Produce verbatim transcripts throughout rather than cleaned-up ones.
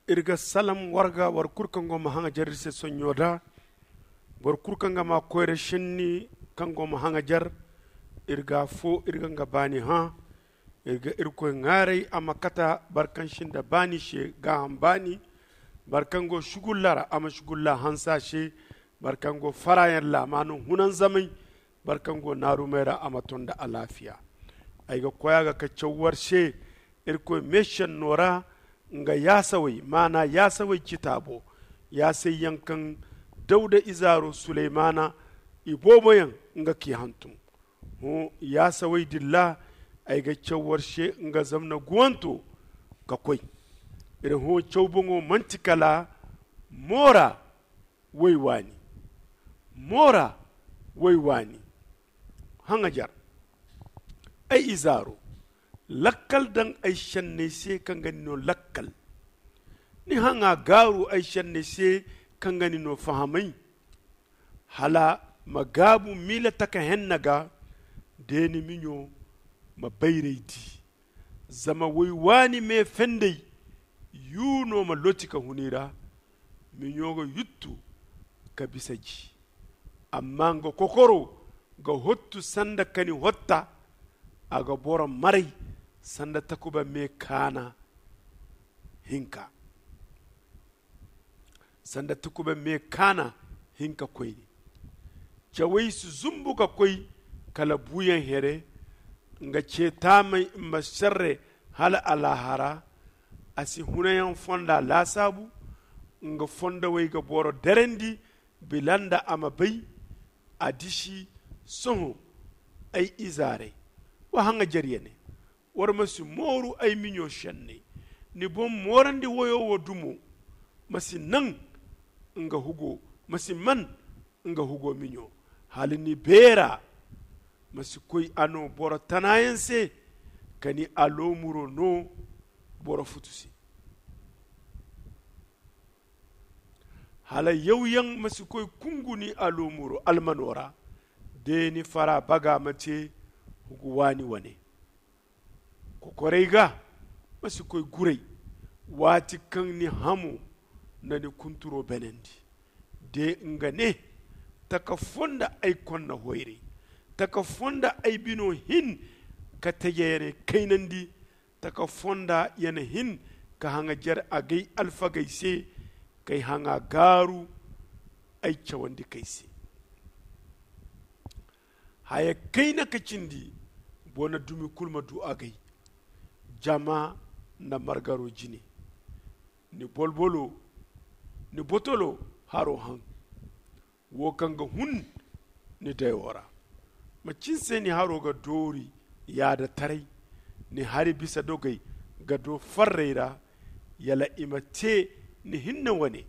Iri ga salam warga war kulu kaŋ go ma haŋajer iri se sonɲo da. Boro kulu kaŋ ga ma koyra senni kaŋ go ma haŋajer, iri ga fo iri ga nga baani hã. Iri ga irkoy ŋaaray a ma kata boro kaŋ sinda baani se gaaham baani. Boro kaŋ go sugulla ra a ma sugulla hanse a se. Boro kaŋ go faraayaŋ laamaano hunanzamay. Boro kaŋ go naarumey ra a ma ton nda alaafiya. Ay ga koy a ga ka caw war se irkoy meesenno ra nga yaasawey maana yaasawey citaabo. Yaasayyaŋ kaŋ dawda izaaro suleymaana ibooboyaŋ nga k'i hantum. Hõ yaasawey din ra ay ga caw war se nga zamna guwanto ka koy. Iri hõ caw boŋo manti kala moora woy waani. Moora woy waani. Haŋajer ay izaaro, lakkal daŋ ay senney se kaŋ ga ni no lakkal. Ni haŋa gaaru ay senney se kaŋ ga ni no fahamay. Hala ma gaabu miila taka henna ga. De ni miɲo ma bayray di. Zama woy waani me fendey yu no ma loti ka hun i ra. Miɲo ga yuttu ka bisa ji. Amma nga kokoro ga hottu sanda kani hotta. A ga boro maray sanda takuba me kaana hinka. Sanda takuba me kaana hinka koyne. Cawey si zumbu ka koy kala buuyaŋ here. Nga ce taamey ma serre hala alaahara. A si hunayaŋ fonda laasaabu. Nga fondowey ga boro derandi bila nda a ma bay. A disi sohõ ay izaarey, wa haŋajerye ne. War ma si mooru ay miɲo senney. Ni boŋ moorandi woyo wo dumo ma si naŋ nga hugo, ma si man nga hugo miɲo. Hala ni beera ma si koy a no boro tanaayaŋ se. Ka ni aloomuro no boro futu se. Hala yawyaŋ ma si koy kungu ni aloomuro almano ra. De ni fara baga ma te hugu waani wane. Kokorey ga ma si koy guray. Waati kaŋ ni hamo na ni kunturo benandi. De nga ne taka fonda ay konna hoyray. Taka fonda ay bino hin ka tejeyaney kaynandi. Taka fonda ya na hin ka haŋajer agay alfagey se. K'ay haŋa gaaru ay cawandi k'ay se. Haya kayna ka cindi boŋ na dumi kulu ma du agay. Jama nda margaro jine. Ni bolbolo ni botolo haro haŋ. Wo kaŋ ga hun ni dayo ra. Macin se ni haro ga doori yaada taray. Ni hari bisa dogey ga do farrey ra. Yala i ma te ni hinne wane.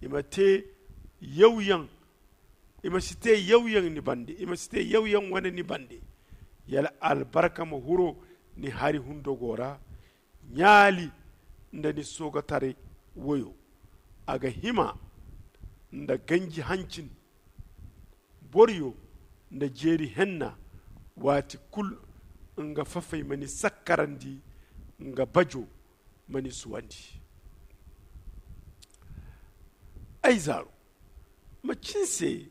I ma te yawyaŋ. I ma si te yawyaŋ ni bande. I ma si te yawyaŋ wane ni bande. Yala albarka ma huro ni hari hundogo ra. Ɲaali nda ni soogotaray woyo. A ga hima nda ganji hancin boriyo nda jeeri henna. Waati kulu nga fafey ma ni sakkarandi. Nga bajo ma ni suwandi. Ay zaaro, macin se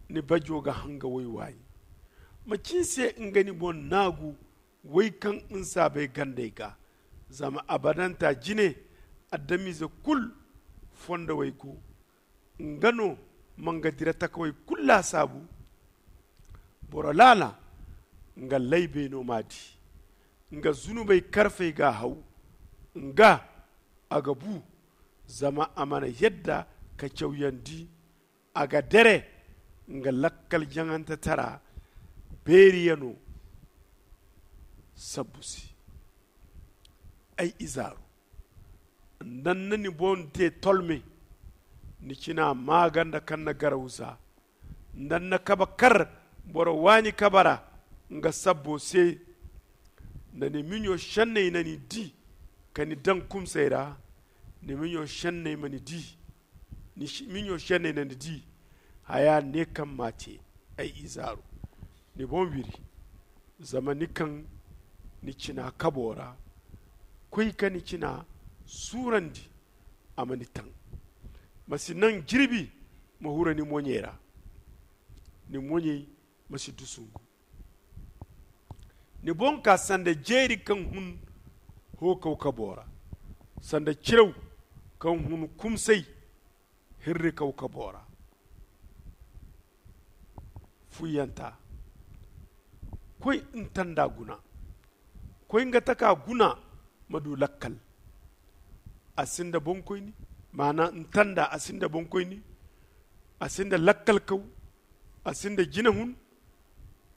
ni bajo ga hanga woy waani? Macin se nga ni boŋ naagu woy kaŋ nsaabey gandey ga? Zama abadanta jine adamize kulu fondowey go. Nga no ma nga dira takawey kulu laasaabu. Boro laala nga laybey no m'a di. Nga zunubey karfey g'a haw. Nga a ga bu zama a mana yadda ka cawyandi. A ga dere nga lakkal jaŋantetara beeriyano sabbu se. Ay izaaru, nda ni na ni boŋ te tolme, ni cina maaganda kaŋ na garaw za. Nda ni na kaba kar boro waani kaba ra nga sabbo se. Nda ni miɲo senney na ni di ka ni daŋ kumsay ra, ni miɲo senney ma ni di. Ni miɲo senney na ni di. Haya ne kaŋ m'a te ay izaaru, ni boŋ wiri. Zama ni kaŋ ni cina kabo ra, koy ka ni cina suurandi. a ma ni taŋ. Ma si naŋ jirbi ma hura ni moɲey ra. Ni moɲey ma si dusungu. Ni boŋ ka sanda jeeri kaŋ hun hookaw kabo ra, sanda ciraw kaŋ hun kumsay hirri kawkabo ra. Fuyyanta, koy ntanda guna, koy nga taka guna ma du lakkal. A sinda bonkoyni, maana ntanda a sinda bonkoyni. A sinda lakkal kaw, a sinda jinahun.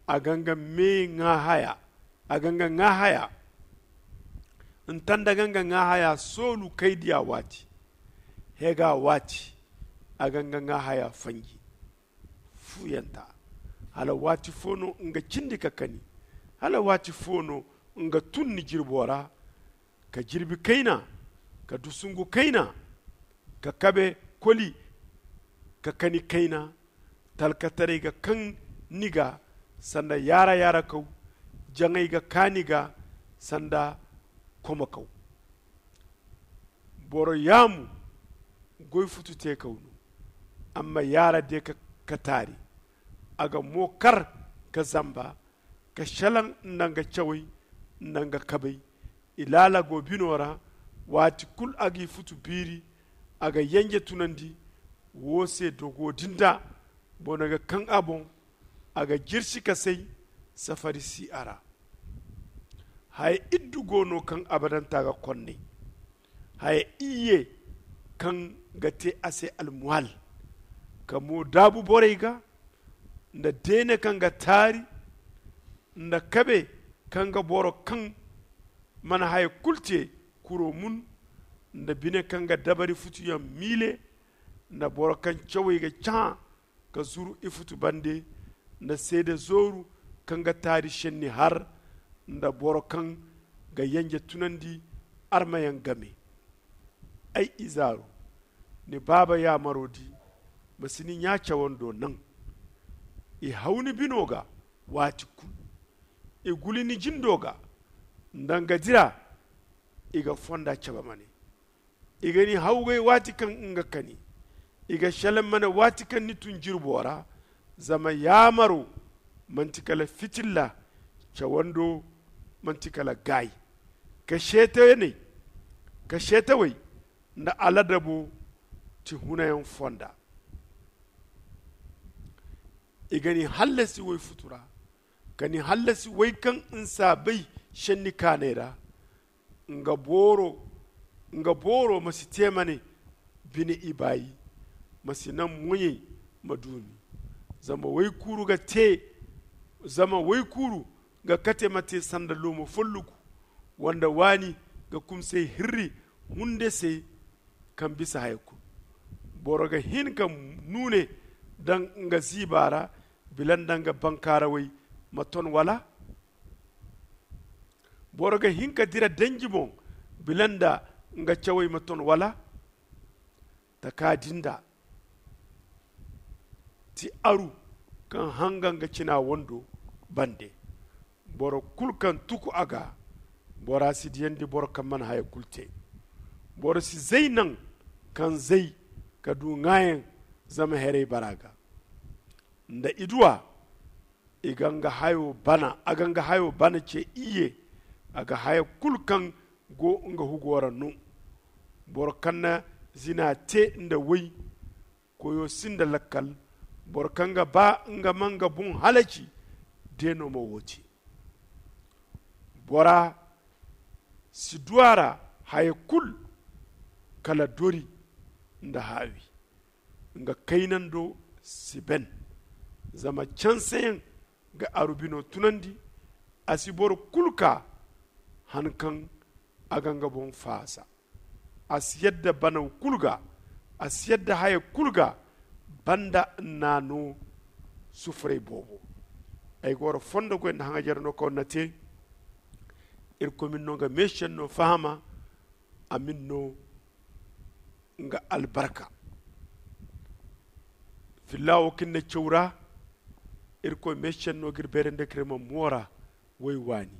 A ga nga me ŋaahaya, a ga nga ŋaahaya. Ntanda ga nga ŋaahaya soolu kaydiya waati, hega waati. A ga nga ŋaahaya fanji. Fuyanta, hala waati fo no nga cindi ka kani? Hala waati fo no nga tun ni jirbo ra? Ka jirbi kayna, ka dusungu kayna, ka kabe koli, ka kani kayna. Talkataray ga kaŋ ni ga sanda yaara yaara kaw. Jaŋay ga kaani ga sanda komo kaw. Boro yaamu goy futu te kaw no. Amma yaara de ka taari, a ga mo kar ka zamba, ka shalaŋ nda nga cawey nda nga kabey. I laala go bino ra. Waati kulu a g'i futu biiri, a ga yenje tunandi. Wo se dogo din da boro ga kaŋ a boŋ. A ga jirsi ka say, safari si a ra. Haya iddu go no kaŋ abadanta ga konnay. Haya iyye kaŋ ga te a se almuhal, ka mo daabu borey ga nda deene kaŋ ga taari, nda kabe kaŋ ga boro kaŋ mana haya kulu te kuro mun, nda bine kaŋ ga dabari futuyaŋ miile, nda boro kaŋ cawey ga cahã ka zuru ifutu bande, nda seede zooru kaŋ ga taari senni har, nda boro kaŋ ga yenje tunandi armayaŋ game. Ay izaaru, ni baaba yaamaro di, ma si ni ɲa cawando naŋ. I haw ni bino ga waati kulu. I guli ni jindo ga nda nga dira. I ga fonda cabe mane. I ga ni hawgay waati kaŋ nga kani. I ga selaŋ mane waati kaŋ ni tun jirbo ra. Zama yaamaro manti kala fitilla, cawando manti kala gaayi. Ka seetawey nda aladabo ti hunayaŋ fonda. I ga ni hallasi woy futu ra, ka ni hallasi woy kaŋ nsaabey senni kaanay ra. Nga booro ma si te mane bine ibaayi. Ma si naŋ moɲey ma duumi. Zama woy kuuru ga te zama woy kuuru ga kate ma te sanda loomo folloku, wanda waani ga kumsay hirri hunde se kaŋ bisa haya kulu. Boro ga hin ka nuune daŋ nga ziiba ra bila nda nga bankaarawey ma ton wala? Boro ga hin ka dira danji boŋ bila nda nga cawey ma ton wala? Taka din da ti aru kaŋ hanga nga cina wando bande. Boro kulu kaŋ tuku a ga, bora si diyandi boro kaŋ mana haya kulu te. Boro si zay naŋ kaŋ zay ka du ŋaayaŋ zama heray bara ga nda iduwa. I ga nga hayo bana a ga nga hayo bana ce iyye. A ga haya kulu kaŋ go nga hugo ra no. Boro kaŋ na zina te nda woy, koyo sinda lakkal. Boro kaŋ ga ba nga ma nga boŋ halaci, deeno ma wo te. Bora si du a ra haya kulu kala dori nda haawi. Nga kaynando si ben. Zama canseyaŋ ga aru bino tunandi. A si boro kulu ka han kaŋ a ga nga boŋ faasa. A si yadda banaw kulu ga. A si yadda haya kulu ga banda nna no. Sufuray boobo ay ga wara fondo goy nda haŋajere no kaŋ na te. Irkoy ma ni no nga meesiyaŋ no fahama. A ma ni no nga albarka. Filla wo kaŋ ni na caw ra. Irkoy meesiyaŋ no ga iri beerandi ka iri ma moora. Way waani.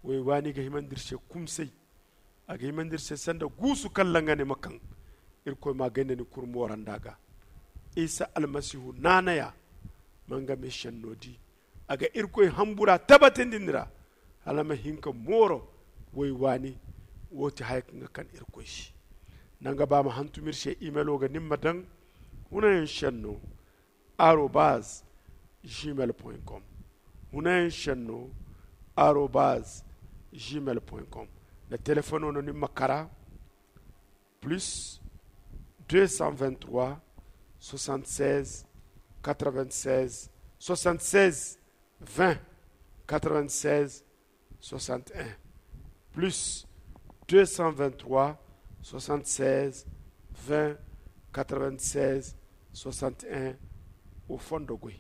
Way waani ga himandi iri se kumsay. A ga himandi iri se sanda guusu kaŋ laŋa ne ma kaŋ. Irkoy ma gay nda ni kuru mooranda ga. Isa almasihu naanaya ma nga me senno di. A ga irkoy hambura tabatindi ni ra, hala ma hin ka mooro. Way waani. Wo ti haya kaŋ ga kan irkoy se. Nanga ba ma hantum iri se imelo ga ni ma daŋ hunayaŋ senno arobaz gmail com. Hunayaŋ senno arobaz gmail com. Nda telefono no ni ma kara plus deux cent vingt-trois soixante-seize quatre-vingt-seize soixante-seize vingt quatre-vingt-seize soixante-un plus deux cent vingt-trois soixante-seize vingt quatre-vingt-seize soixante-un. Au fond de goy.